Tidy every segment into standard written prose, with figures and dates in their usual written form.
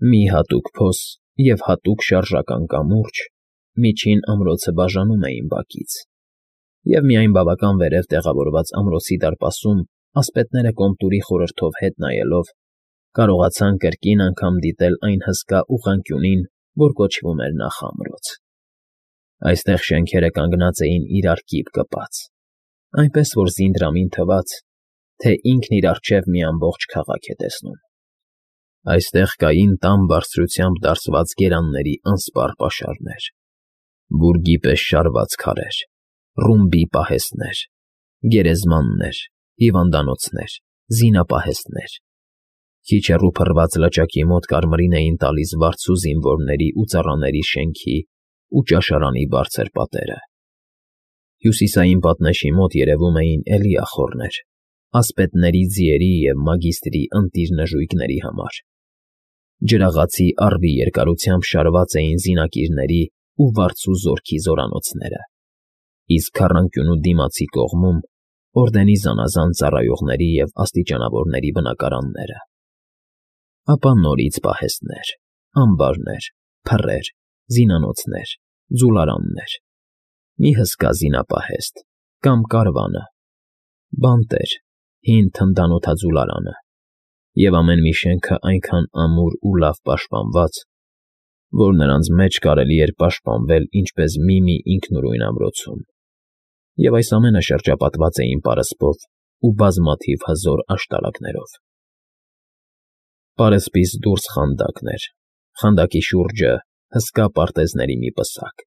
Մի հատուկ փոս և հատուկ շարժական կամուրջ միջին ամրոցը բաժանում էին բակից, և միայն բավական վերև տեղավորված ամրոցի դարպասում ասպետները կոմտուրի խորհրդով հետ նայելով կարողացան կրկին անգամ դիտել այն հսկա ուղղանկյունին, որ կոչվում էր նախամրոց. այստեղ շենքերը կանգնած էին իրար կիպ կպած, այնպես որ զինդրամին թվաց, թե ինքն իր առջև մի ամբողջ քաղաք է տեսնում. այստեղ կային տան բարձրությամբ դարսված գերանների անսպառ պաշարներ, բուրգի պես շարված քարեր, ռումբի պահեստներ, գերեզմաններ, հիվանդանոցներ, զինապահեստներ, քիչ հեռու փռված լճակի մոտ կարմիրին էին տալիս վարձու զինվորների ու ծառաների շենքի ու ճաշարանի բարձր պատերը. հյուսիսային պատնեշի մոտ երևում էին էլի ախոռներ, ասպետների ձիերի և մագիստրի ընտիր նժույգների համար, ջրաղացի առվի երկարությամբ շարված էին զինակիրների ու վարձու զորքի զորանոցները, իսկ քառանկյունու դիմացի կողմում օրդենի զանազան ծառայողների և աստիճանավորների բնակարանները, ապա նորից պահեստներ, ամբարներ, փռեր, զինանոցներ, ձուլարաններ, մի հսկա զինապահեստ կամ կարվանը, բանտեր, հին թնդանոթաձուլարանը, և ամեն մի շենքը այնքան ամուր ու լավ պաշտպանված, որ նրանց մեջ կարելի էր պաշտպանվել ինչպես մի ինքնուրույն ամրոցում, և այս ամենը շրջապատված էին պարսպով ու բազմաթիվ հզոր աշտարակներով։ Պարսպից դուրս խանդակն էր, խանդակի շուրջը հսկա պարտեզների մի պսակ,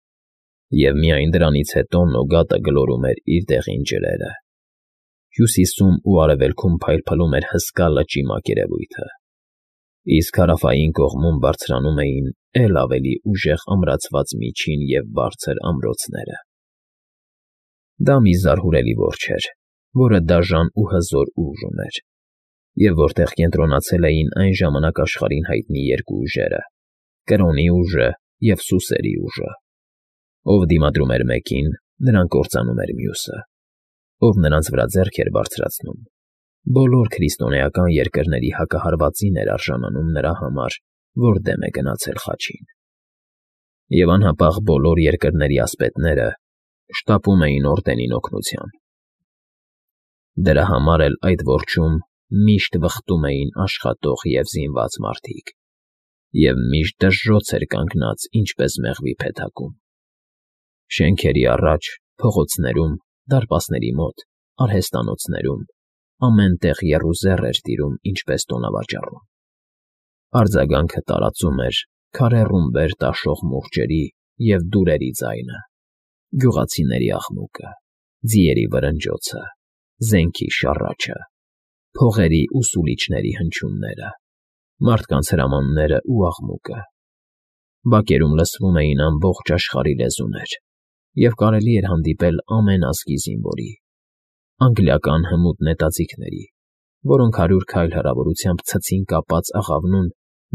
և միայն դրանից հետո Նոգատը գլորում էր իր դեղին ջրերը։ Հյուսիսում ու արևելքում փայլփլում էր հսկա լճի մակերևույթը, իսկ հարավային կողմում բարձրանում էին էլ ավելի ուժեղ ամրացված միջին և բարձր ամրոցները։ Դա մի զարհուրելի որջն էր, որը դաժան ու հզոր ուժ ուներ, և որտեղ կենտրոնացել էին այն ժամանակ աշխարհին հայտնի երկու ուժերը՝ Կրոնի ուժը և Սուսերի ուժը. ով դիմադրում էր մեկին, նրան կործանում էր մյուսը, ով նրանց վրա ձեռք էր բարձրացնում, բոլոր քրիստոնեական երկրների հակահարվածին էր արժանանում նրա համար, որ դեմ է գնացել խաչին։ Եվ անհապաղ բոլոր երկրների ասպետները շտապում էին օրդենին օգնության։ Դրա համար էլ այդ որջում միշտ վխտում էին աշխատող և զինված մարդիկ, և միշտ դժժոց էր կանգնած, ինչպես մեղվի փեթակում։ Շենքերի առաջ, փողոցներում, դարպասների մոտ, արհեստանոցներում, ամեն տեղ եռուզեռ էր տիրում, ինչպես տոնավաճառում։ Արձագանքը տարածում էր քարե ռումբեր տաշող մուրճերի և դուրերի ձայնը, գյուղացիների աղմուկը, ձիերի վրնջոցը, զենքի շառաչը, փողերի ու սուլիչների հնչյունները, մարդկանց հրամաններն ու աղմուկը։ Բակերում լսվում էին ամբողջ աշխարհի լեզուներ, և կարելի էր հանդիպել ամեն ազգի զինվորի, անգլիական հմուտ նետաձիգների, որոնք 100 քայլ հեռավորությամբ ցցին կապած աղավնուն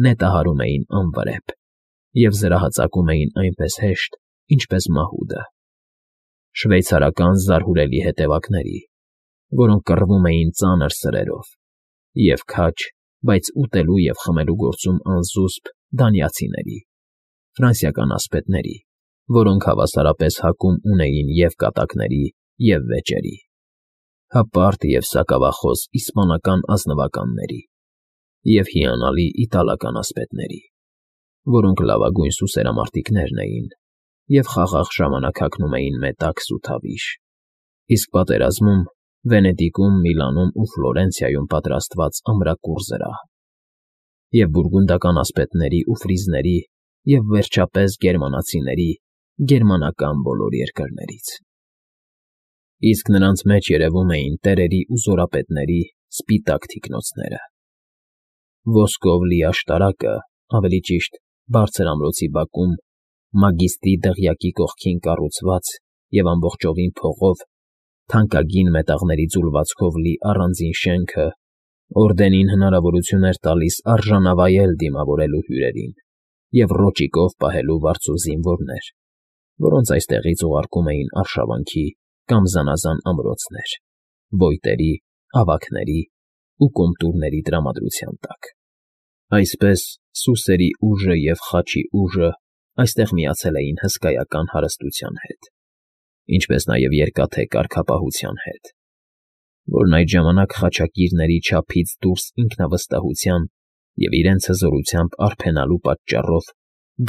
նետահարում էին անվրեպ և զրահածակում էին այնպես հեշտ, ինչպես մահուդը, շվեյցարական զարհուրելի հետևակների, որոնք կռվում էին ծանր սրերով, և քաջ, բայց ուտելու և խմելու գործում անզուսպ դանիացիների, ֆրանսիական ասպետների, որոնք հավասարապես հակում ունեին և կատակների, և վեճերի, հպարտ և սակավախոս իսպանական ազնվականների և հիանալի իտալական ասպետների, որոնք լավագույն սուսերամարտիկներն էին և խաղաղ ժամանակ հագնում էին մետաքս ու թավիշ, իսկ պատերազմում Վենետիկում, Միլանում ու Ֆլորենցիայում պատրաստված ամրակուռ զրահ, և բուրգունդական ասպետների ու ֆրիզների և, վերջապես, գերմանացիների գերմանական բոլոր երկրներից։ Իսկ նրանց մեջ երևում էին տերերի ու զորապետների սպիտակ թիկնոցները։ Ոսկով լի աշտարակը, ավելի ճիշտ, բարձր ամրոցի բակում, մագիստրի դղյակի կողքին կառուցված և ամբողջովին փողով, թանկագին մետաղների ձուլվածքով լի առանձին շենքը օրդենին հնարավորություն էր տալիս արժանավայել դիմավորելու հյուրերին և ռոճիկով պահելու վարձու զինվորներ, որոնց այստեղից ուղարկում էին արշավանքի կամ զանազան ամրոցներ, ոյտերի, ավագների ու կոմտուրների տրամադրության տակ։ Այսպես սուսերի ուժը և խաչի ուժը այստեղ միացել էին հսկայական հարստության հետ, ինչպես նաև երկաթե կարգապահության հետ, որն այդ ժամանակ խաչակիրների չափից դուրս ինքնավստահության և իրենց հզորությամբ արփենալու պատճառով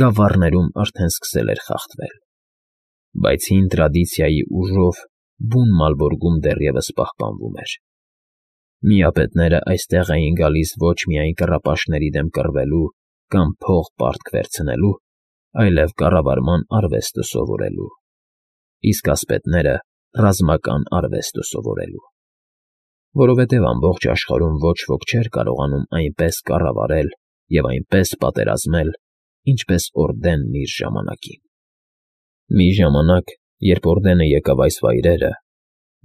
գավառներում արդեն սկսել էր խախտվել, բայց հին տրադիցիայի ուժով բուն Մալբորգում դեռևս պահպանվում էր։ Միապետները այստեղ էին գալիս ոչ միայն կռապաշտների դեմ կռվելու կամ փող պարտք վերցնելու, այլև կառավարման արվեստը սովորելու, իսկ ասպետները ռազմական արվեստը սովորելու, որովհետև ամբողջ աշխարհում ոչ ոք չէր կարողանում այնպես կառավարել և այնպես պատերազմել, ինչպես Օրդենն իր ժամանակին։ Մի ժամանակ, երբ Օրդենը եկավ այս վայրերը,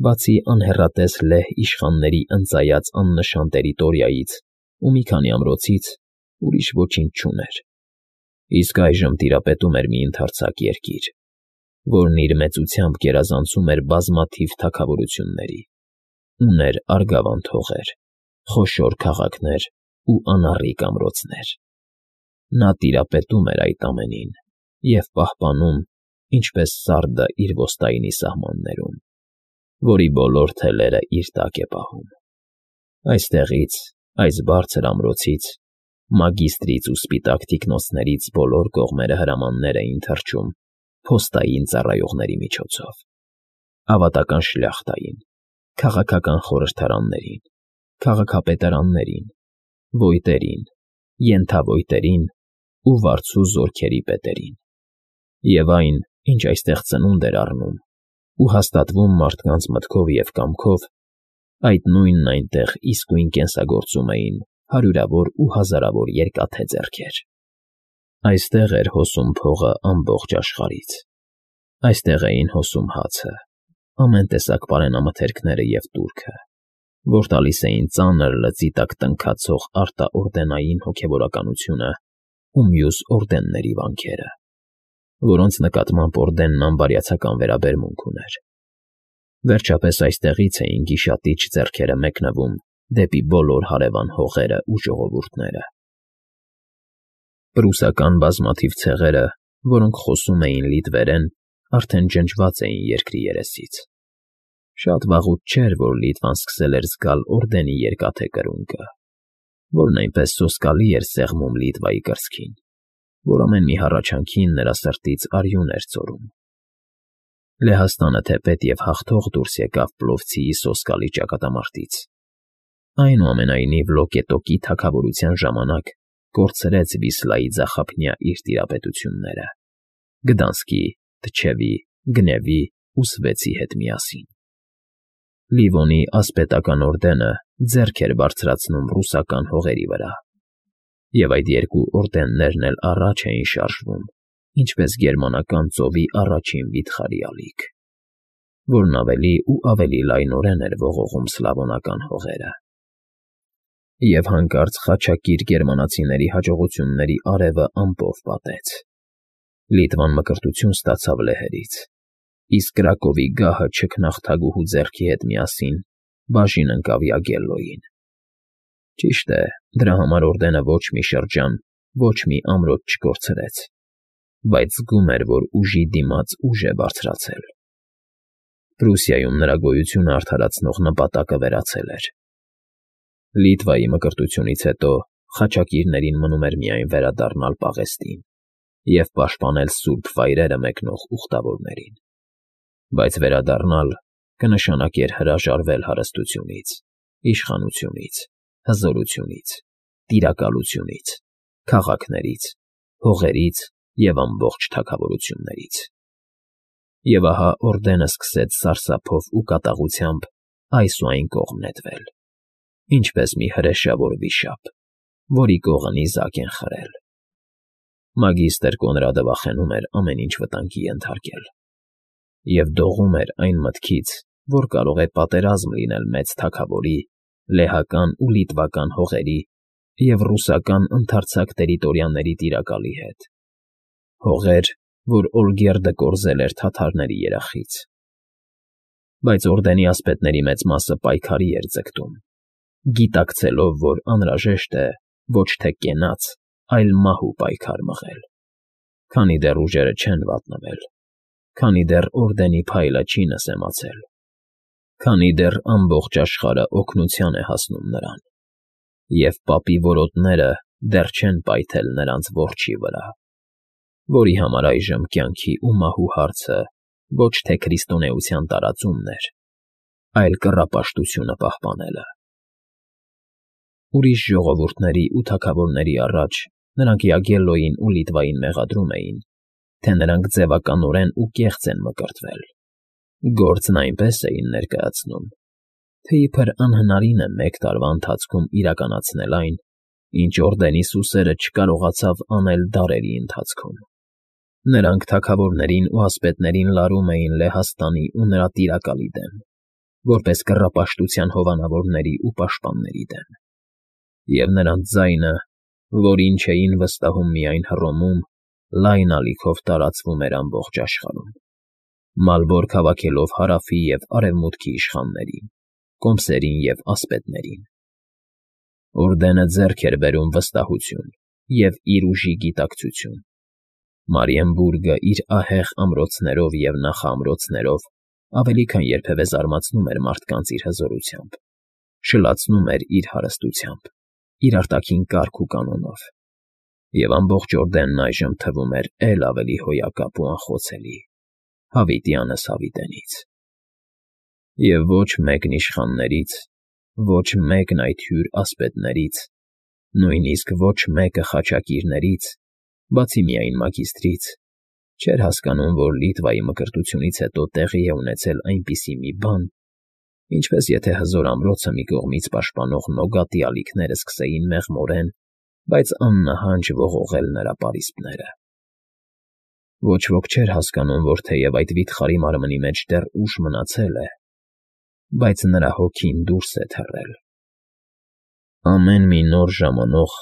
բացի անհեռատես լեհ իշխանների ընծայած աննշան տերիտորիայից ու մի քանի ամրոցից, ուրիշ ոչինչ չուներ, իսկ այժմ տիրապետում էր մի ընդարձակ երկիր, որն իր մեծությամբ գերազանցում էր բազմաթիվ թագավորությունների, ուներ արգավանդ հողեր, խոշոր քաղաքներ ու անառիկ ամրոցներ։ Նա տիրապետում էր այդ ամենին և պահպանում, ինչպես սարդը իր ոստայինի սահմաններում, որի բոլոր թելերը իր տակ է պահում։ Այստեղից, այս բարձր ամրոցից, մագիստրից ու սպիտակ թիկնոցներից բոլոր կողմերը հրամաններ էին թռչում փոստային ծառայողների միջոցով, ավատական շլյախտային, քաղաքական խորհրդարաններին, քաղաքապետարաններին, ոյտերին, ենթավոյտերին ու վարձու զորքերի պետերին, և այն, ինչ այստեղ ծնունդ էր առնում ու հաստատվում մարդկանց մտքով և կամքով, այդ նույնն այնտեղ իսկույն կենսագործում էին հարյուրավոր ու հազարավոր երկաթե ձեռքեր։ Այստեղ էր հոսում փողը ամբողջ աշխարհից, այստեղ էին հոսում հացը, ամեն տեսակ պարենամթերքները և տուրքը, որ տալիս էին ծանր լծի տակ տնքացող արտաորդենային հոգևորականությունը ու մյուս օրդենների վանքերը, որոնց նկատմամբ Օրդենն անբարյացակամ վերաբերմունք ուներ։ Վերջապես այստեղից էին գիշատիչ ձեռքերը մեկնվում դեպի բոլոր հարևան հողերը ու ժողովուրդները։ Պրուսական բազմաթիվ ցեղերը, որոնք խոսում էին լիտվերեն, արդեն ջնջված էին երկրի երեսից։ Շատ վաղուց չէր, որ Լիտվան սկսել էր զգալ Օրդենի երկաթե կրունկը, որն այնպես սոսկալի էր սեղմում Լիտվայի կրծքին, որ ամեն մի հառաչանքին նրա սրտից արյուն էր ծորում։ Լեհաստանը թեպետ և հաղթող դուրս եկավ Պլովցիի սոսկալի ճակատամարտից, այնուամենայնիվ Լոկետոկի թագավորության ժամանակ կորցրեց Վիսլայի ձախափնյա իր տիրապետությունները Գդանսկի, Թչևի, Գնևի ու Սվեցի հետ միասին։ Լիվոնի ասպետական օրդենը ձեռք էր բարձրացնում ռուսական հողերի վրա, և այդ երկու օրդեններն էլ առաջ էին շարժվում, ինչպես գերմանական ծովի առաջին վիթխարի ալիք, որն ավելի ու ավելի լայնորեն էր ողողում սլավոնական հողերը։ Եվ հանկարծ խաչակիր գերմանացիների հաջողությունների արևը ամպով պատեց։ Լիտվան մկրտություն ստացավ լեհերից, իսկ Կրակովի գահը չքնաղթագուհու ձեռքի հետ միասին բաժին ընկավ Յագելլոյին։ Ճիշտ է, դրա համար օրդենը ոչ մի շրջան, ոչ մի ամրոց չկորցրեց, բայց զգում էր, որ ուժի դիմաց ուժ է բարձրացել։ Պրուսիայում նրա գոյությունը արդարացնող նպատակը վերացել էր։ Լիտվայի մկրտությունից հետո խաչակիրներին մնում էր միայն վերադառնալ պաղեստին և պաշտպանել սուրբ վայրերը մեկնող ուխտավորներին, բայց վերադառնալ կնշանակեր հրաժարվել հարստությունից, իշխանությունից, հզորությունից, տիրակալությունից, քաղաքներից, հողերից և ամբողջ թագավորություններից։ Եվ ահա օրդենը սկսեց սարսափով ու կատաղությամբ այս ու այն կողմ նետվել, ինչպես մի հրեշավոր վիշապ, որի կողը նիզակ են խրել։ Մագիստր Կոնրադը վախենում էր ամեն ինչ վտանգի ենթարկել և դողում էր այն մտքից, որ կարող է պատերազմ լինել մեծ թագավորի, լեհական ու լիտվական հողերի և ռուսական ընդարձակ տերիտորիաների տիրակալի հետ, հողեր, որ Օլգերդը կորզել էր թաթարների երախից։ Բայց օրդենի ասպետների մեծ մասը պայքարի էր ձգտում, գիտակցելով, որ անհրաժեշտ է, ոչ թե կենաց, այլ մահու պայքար մղել, քանի դեռ ուժերը չեն վատնվել, քանի դեռ օրդենի փայլը չի նսեմացել, քանի դեռ ամբողջ աշխարհը օգնության է հասնում նրան, և պապի որոտները դեռ չեն պայթել նրանց որջի վրա, որի համար այժմ կյանքի ու մահու հարցը ոչ թե քրիստոնեության տարածումն էր, այլ կռապաշտությունը պահպանելը։ Ուրիշ ժողովուրդների ու թագավորների առաջ նրանք Յագելլոյին ու Լիտվային մեղադրում էին, թե նրանք ձևականորեն ու կեղծ են մկրտվել, գործն այնպես էին ներկայացնում, թե իբր անհնարին է մեկ տարվա ընթացքում իրականացնել այն, ինչ օրդենի սուսերը չկարողացավ անել դարերի ընթացքում։ Նրանք թագավորներին ու ասպետներին լարում էին Լեհաստանի ու նրա տիրակալի դեմ, որպես կռապաշտության հովանավորների ու պաշտպանների դեմ, և նրանց ձայնը, որին չէին վստահում միայն Հռոմում, լայն ալիքով տարածվում էր ամբողջ աշխարհում, մալվոր քաղաքելով հարավի և արևմուտքի իշխաններին, կոմսերին և ասպետներին։ Օրդենը ձեռք էր բերում վստահություն և իր ուժի գիտակցություն։ Մարիենբուրգը իր ահեղ ամրոցներով և նախաամրոցներով ավելի քան երբևէ զարմացնում էր մարդկանց իր հզորությամբ, շլացնում էր իր հարստությամբ, իր արտաքին կարգ ու կանոնով, և ամբողջ օրդենն այժմ թվում էր էլ ավելի հոյակապ ու անխոցելի, հավիտյանս հավիտենից։ Եվ ոչ մեկն իշխաններից, ոչ մեկն այդ հյուր ասպետներից, նույնիսկ ոչ մեկը խաչակիրներից, բացի միայն մագիստրից, չէր հասկանում, որ Լիտվայի մկրտությունից հետո տեղի է ունեցել այնպիսի մի բան, ինչպես եթե հզոր ամրոցը մի կողմից պաշտպանող նոգատի ալիքները սկսեին մեղմորեն, բայց աննահանջ ողողել նրա պարիսպները։ Ոչ ոք չէր հասկանում, որ թեև այդ վիթխարի մարմնի մեջ դեռ ուժ մնացել է, բայց նրա հոգին դուրս է թռել։ Ամեն մի նոր ժամանող,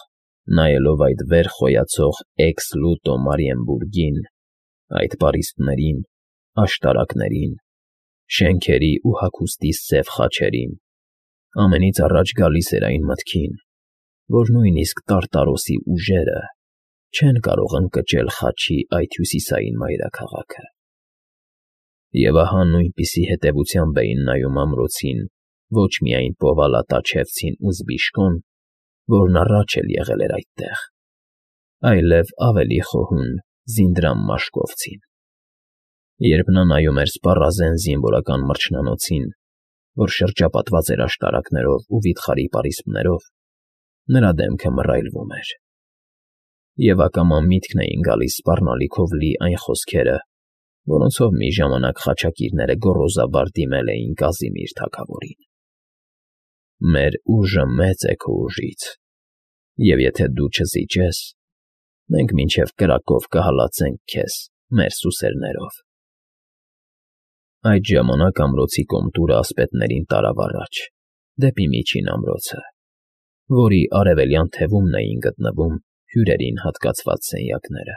նայելով այդ վեր խոյացող Էքս Լուտո Մարիենբուրգին, այդ պարիսպներին, աշտարակներին, շենքերի ու հագուստի սև խաչերին, ամենից առաջ գալիս էր այն մտքին, որ նույնիսկ Տարտարոսի ուժերը չեն կարող ընկճել խաչի այդ հյուսիսային մայրաքաղաքը։ Եվ ահա նույնպիսի հետևությամբ էին նայում ամրոցին ոչ միայն Պովալատաչևցին ու Զբիշկոն, որն առաջ էլ եղել էր այդտեղ, այլև ավելի խոհուն Զինդրամ Մաշկովցին։ Երբ նա նայում էր սպառազեն զինվորական մրջնանոցին, որ շրջապատված էր աշտարակներով ու վիթխարի պարիսպներով, նրա դեմքը մռայլվում էր, և ակամա միտքն էին գալիս սպառնալիքով լի այն խոսքերը, որոնցով մի ժամանակ խաչակիրները գոռոզաբար դիմել էին Կազիմիր թագավորին. «Մեր ուժը մեծ է քո ուժից, և եթե դու չզիջես, մենք մինչև կրակով կհալածենք քեզ մեր սուսերներով»։ Այդ ժամանակ ամրոցի կոմտուրը ասպետներին տարավ առաջ, դեպի միջին ամրոցը, որի արևելյան թևումն էին գտնվում հյուրերին հատկացված սենյակները։